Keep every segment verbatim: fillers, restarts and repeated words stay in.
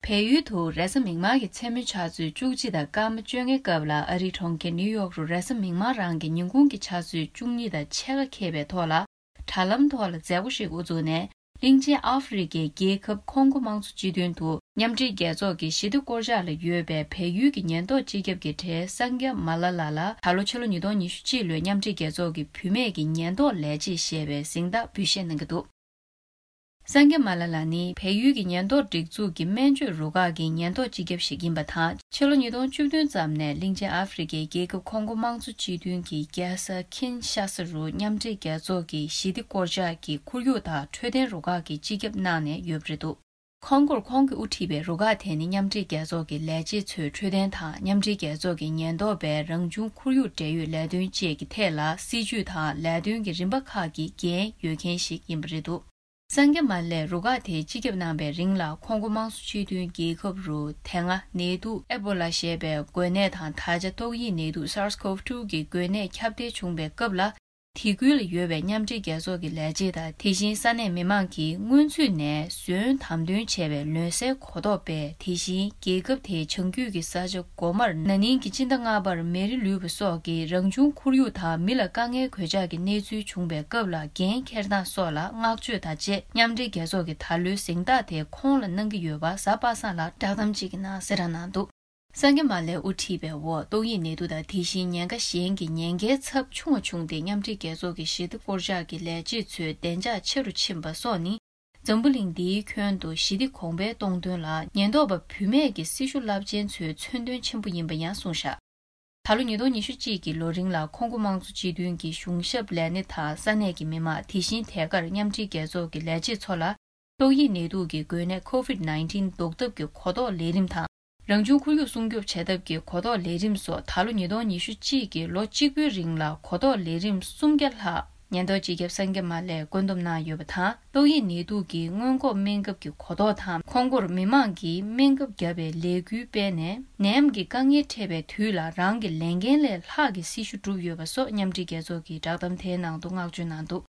བལ་ཡུལ་དུ་རེས་གཟའ་མིག་དམར་གྱི་མཚན་མོའི་ཆུ་ཚོད་བཅུ་གཅིག་དང་སྐར་མ་བཅོ་ལྔའི་སྐབས་ལ། ཨ་རིའི་གྲོང་ཁྱེར་ནིའུ་ཡོག་རུ་རེས་གཟའ་མིག་དམར་རང་གི་ཉིན་གུང་གི་ཆུ་ཚོད་བཅུ་གཉིས་དང་ཕྱེད་ཀ་འཁེལ་བའི་ཐོག་ལ། དྲ་ལམ་ཐོག་ལ་མཛད་སྒོ་ཞིག་དབུ་བཙུགས་ནས། གླིང་ཆེན་ཨ་ཧྥེ་རི་ཁའི་རྒྱལ་ཁབ་ཁོང་གོ་དམངས་གཙོ་སྤྱི་མཐུན་དུ་མཉམ་འབྲེལ་རྒྱལ་ཚོགས་ཀྱི་ཞི་བདེ་སྐོར་འཆར་ལ་ཡོད་པའི་བལ་ཡུལ་གྱི་ཉེན་རྟོག་སྤྱི་ཁྱབ་ཀྱི་གྲས་སངྒེ་མ་ལ་ལ་ལ། ད་ལོ་ཕྱི་ལོ་ཉིས་སྟོང་ཉི་ཤུ་གཅིག་ལོའི་མཉམ་འབྲེལ་རྒྱལ་ཚོགས་ཀྱི་བུད་མེད་ཀྱི་ཉེན་རྟོག་ལས་བྱེད་ཞེས་པའི་གཟེངས་རྟགས་འབུལ་བཞེས་གནང་གི་འདུག། སངྒེ་མ་ལ་ལ་ནི་བལ་ཡུལ་གྱི་ཉེན་རྟོག་སྒྲིག་འཛུགས་ཀྱི་སྨན་བཅོས་རུ་ཁག་གི་ཉེན་རྟོག་སྤྱི་ཁྱབ་ཞིག་ཡིན་པ་དང་། ཕྱི་ལོ་ཉིས་སྟོང་བཅུ་བདུན་ཙམ་ནས་གླིང་ཆེན་ཨ་ཧྥེ་རི་ཁའི་རྒྱལ་ཁབ་ཁོང་གོ་དམངས་གཙོ་སྤྱི་མཐུན་གྱི་རྒྱལ་ས་ཁིན་ཤ་ས་རུ་མཉམ་འབྲེལ་རྒྱལ་ཚོགས་ཀྱི་ཞི་བདེ་སྐོར་འཆར་གྱི་ཁོར་ཡུག་དང་འཕྲོད་བསྟེན་རུ་ཁག་གི་སྤྱི་ཁྱབ་གནང་ནས་ཡོད་པ་རེད་འདུག། ཁོང་གོར་ཁོང་གིས་དབུ་ཁྲིད་པའི་རུ་ཁག་དེ་ནི་མཉམ་འབྲེལ་རྒྱལ་ཚོགས་ཀྱི་ལས་བྱེད་ཚོའི་འཕྲོད་བསྟེན་དང་། མཉམ་འབྲེལ་རྒྱལ་ཚོགས་ཀྱི་ཉེན་རྟོག་པའི་རང་བྱུང་ཁོར་ཡུག་འབྲེལ་ཡོད་ལས་དོན་བཅས་ཀྱི་ཐད་ལ་སྲིད་ཇུས་དང་ལས་དོན་གྱི་རིམ་པ་ཁག་གི་འགན་ཡོད་མཁན་ཞིག་ཡིན་པ་རེད་འདུག། སངྒེ་མ་ལས་རུ་ཁག་དེའི་སྤྱི་ཁྱབ་གནང་བའི་རིང་ལ། ཁོང་གོ་དམངས་གཙོ་སྤྱི་མཐུན་རྒྱལ་ཁབ་རུ་དེ་སྔ་ནད་དུག་ཨེ་བོ་ལ་ཞེས་པའི་འགོས་ནད་དང་། ད་ཆ་ཏོག་དབྱིབས་ནད་དུག་SARS-CoV two གི་འགོས་ནད་ཁྱབ་གདལ་བྱུང་བའི་སྐབས་ལ། དེ་ཁུལ་ལ་ཡོད་པའི་མཉམ་འབྲེལ་རྒྱལ་ཚོགས་ཀྱི་ལས་བྱེད་དང་། དེ་བཞིན་ས་གནས་མི་མང་གིས་སྔོན་ཚུད་ནས་ཟོན་དམ་དོན་བྱས་པའི་ལོན་གསལ་གོ་རྟོགས་སྤེལ། དེ་བཞིན་རྒྱལ་ཁབ་དེའི་བྱང་རྒྱུད་ཀྱི་ས་ཆ་གོ་མར་ན་ནིང་གི་སྤྱི་ཟླ་ལྔ་པར་མེ་རི་ལུས་པ་སོགས་ཀྱི་རང་བྱུང་ཁོར་ཡུག་དང་མི་ལ་དཀའ་ངལ་གོད་ཆག་གི་གནས་ཚུལ་བྱུང་བའི་སྐབས་ལ་འགན་འཁྱེར་སྟངས་སོགས་ལ་བསྔགས་བརྗོད་དང་བཅས། མཉམ་འབྲེལ་རྒྱལ་ཚོགས་ཀྱིས་ད་ལོའི་གཟེངས་རྟགས་དེ་ཁོང་ལ་གནང་གི་ཡོད་པ་གཟའ་པ་སངས་ལ་བསྒྲགས་གཏམ་གཅིག་གི་ནང་གསལ་བསྒྲགས་གནང་འདུག། སངྒེ་མ་ལས་དབུ་ཁྲིད་པའི་འོག་ཏོག་དབྱིབས་ནད་དུག་དང་དེ་བཞིན་ཉེན་ཁ་གཞན་གྱི་ཉེན་ཁའི་ཚབས་ཆུང་བ་བྱུང་སྟེ། མཉམ་འབྲེལ་རྒྱལ་ཚོགས་ཀྱི་ཞི་བདེ་སྐོར་འཆར་གྱི་ལས་བྱེད་ཚོའི་བདེ་འཇགས་ཆེ་རུ་ཕྱིན་པ་སོགས་ནི། འཛམ་བུ་གླིང་འདིའི་ཁྱོན་དུ་ཞི་བདེ་གོང་འཕེལ་གཏོང་དོན་ལ་ཉེན་རྟོག་པ་བུད་མེད་ཀྱི་སྲི་ཞུ་རླབས་ཆེན་ཚོའི་མཚོན་དོན་ཆེན་པོ་ཡིན་པ་ཡང་གསུངས་བཞག། ད་ལོ་ཉིས་སྟོང་ཉི་ཤུ་གཅིག་གི་ལོ་རིང་ལ་ཁོང་གོ་དམངས་གཙོ་སྤྱི་མཐུན་གྱི་གཞུང་ཞབས་ལས་སྣེ་དང་ས་གནས་ཀྱི་མི་མང་། དེ་བཞིན་ཐད་ཀར་མཉམ་འབྲེལ་རྒྱལ་ཚོགས་ཀྱི་ལས་བྱེད་ཚོ་ལ། ཏོག་དབྱིབས་ནད་དུག་གི་འགོས་ནད་COVID nineteen ཟློག་ཐབས་ཀྱི་གོ་རྟོགས་ལས་རིམ་དང་། རང་བྱུང་ཁོར་ཡུག་སྲུང་སྐྱོབ་བྱ་ཐབས་ཀྱི་གོ་རྟོགས་ལས་རིམ་སོགས། ད་ལོ་ཉིས་སྟོང་ཉི་ཤུ་གཅིག་གི་ལོ་གཅིག་པུའི་རིང་ལ་གོ་རྟོགས་ལས་རིམ་སུམ་བརྒྱ་ལྷག་ཉེན་རྟོག་སྤྱི་ཁྱབ་སངྒེ་མ་ལས་བཀོད་འདོམས་གནང་ཡོད་པ་དང་། ཏོག་དབྱིབས་ནད་དུག་གི་སྔོན་འགོག་སྨན་ཁབ་ཀྱི་གོ་རྟོགས་དང་། ཁོང་ཁོར་མི་མང་གིས་སྨན་ཁབ་བརྒྱབ་པའི་ལས་འགུལ་སྤེལ་ནས། ནད་ཡམས་ཀྱི་དཀའ་ངལ་འཕྲད་པའི་དུས་ལ་རང་གི་ལས་འགན་ལས་ལྷག་གི་སྲི་ཞུ་བསྒྲུབས་ཡོད་པ་སོགས་མཉམ་འབྲེལ་རྒྱལ་ཚོགས་ཀྱི་བསྒྲགས་གཏམ་དེའི་ནང་དུ་བསྔགས་བརྗོད་གནང་འདུག།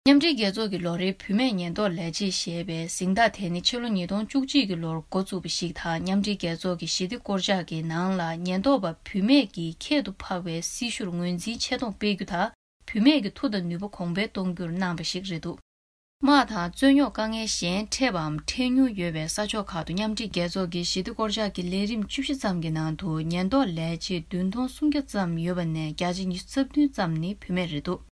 མཉམ་འབྲེལ་རྒྱལ་ཚོགས་ཀྱི་ལོ་རེའི་བུད་མེད་ཉེན་རྟོག་ལས་བྱེད་ཞེས་པའི་གཟེངས་རྟགས་དེ་ནི་ཕྱི་ལོ་ཉིས་སྟོང་བཅུ་གཅིག་གི་ལོར་འགོ་བཙུགས་པ་ཞིག་དང་། མཉམ་འབྲེལ་རྒྱལ་ཚོགས་ཀྱི་ཞི་བདེ་སྐོར་འཆར་གྱི་ནང་ལ་ཉེན་རྟོག་པ་བུད་མེད་ཀྱི་ཁྱད་དུ་འཕགས་པའི་སྲི་ཞུར་ངོས་འཛིན་ཆེ་མཐོང་སྤེལ་རྒྱུ་དང་། བུད་མེད་ཀྱི་མཐུ་དང་ནུས་པ་གོང་འཕེལ་གཏོང་རྒྱུར་གནང་བ་ཞིག་རེད་འདུག། དམག་དང་རྩོད་རྙོག་དཀའ་ངལ་གཞན་འཕྲད་པའམ་འཕྲད་མྱོང་ཡོད་པའི་ས་ཕྱོགས་ཁག་ཏུ་མཉམ་འབྲེལ་རྒྱལ་ཚོགས་ཀྱི་ཞི་བདེ་སྐོར་འཆར་གྱི་ལས་རིམ་བཅུ་བཞི་ཙམ་གྱི་ནང་དུ་ཉེན་རྟོག་ལས་བྱེད་བདུན་སྟོང་སུམ་བརྒྱ་ཙམ་ཡོད་པ་ནས་བརྒྱ་ཆ་ཉི་ཤུ་རྩ་བདུན་ཙམ་ནི་བུད་མེད་རེད་འདུག།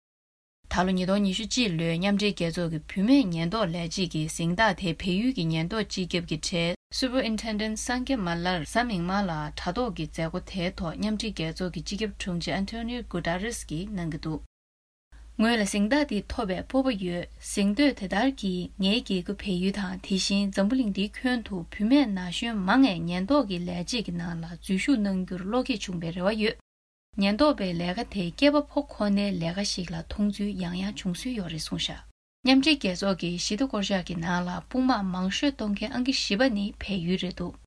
ད་ལོ་ཉིས་སྟོང་ཉི་ཤུ་གཅིག་ལོའི་མཉམ་འབྲེལ་རྒྱལ་ཚོགས་ཀྱི་བུད་མེད་ཉེན་རྟོག་ལས་བྱེད་ཀྱི་གཟེངས་རྟགས་དེ་བལ་ཡུལ་གྱི་ཉེན་རྟོག་སྤྱི་ཁྱབ་ཀྱི་གྲས་སུ་པར་ཨིན་ཊེན་ཌེན་ཊི་སངྒེ་མ་ལར་གཟའ་མིག་དམར་ལ་དྲ་ཐོག་གི་མཛད་སྒོ་དེའི་ཐོག་མཉམ་འབྲེལ་རྒྱལ་ཚོགས་ཀྱི་སྤྱི་ཁྱབ་དྲུང་ཆེ་ཨན་ཐོ་ནིའོ་གུ་ཏ་རེས་ཀྱིས་གནང་གི་འདུག། ངོས་ལ་གཟེངས་རྟགས་འདི་ཐོབ་པའི་སྤོབས་པ་ཡོད། གཟེངས་བསྟོད་དེ་ལྟར་གྱིས་ངའི་རྒྱལ་ཁབ་བལ་ཡུལ་དང་། དེ་བཞིན་འཛམ་བུ་གླིང་འདིའི་ཁྱོན་དུ་བུད་མེད་ན་གཞོན་མང་ངས་ཉེན་རྟོག་གི་ལས་བྱེད་ཀྱི་ནང་ལ་འཛུལ་ཞུགས་གནང་རྒྱུར་བློ་སྐྱེད་བྱུང་བའི་རེ་བ་ཡོད། ཉེན་རྟོག་པའི་ལས་ཀ་དེ་སྐྱེས་པ་ཕོ་ཁོ་ནའི་ལས་ཀ་ཞིག་ལ་མཐོང་ཚུལ་ཡང་ཡང་བྱུང་སྲོལ་ཡོད་རེད་གསུངས་བཞག། མཉམ་འབྲེལ་རྒྱལ་ཚོགས་ཀྱི་ཞི་བདེ་སྐོར་འཆར་གྱི་ནང་ལ་དཔུང་དམག་མང་ཤོས་གཏོང་མཁན་ཨང་ཀི་བཞི་པ་ནི་བལ་ཡུལ་རེད་འདུག།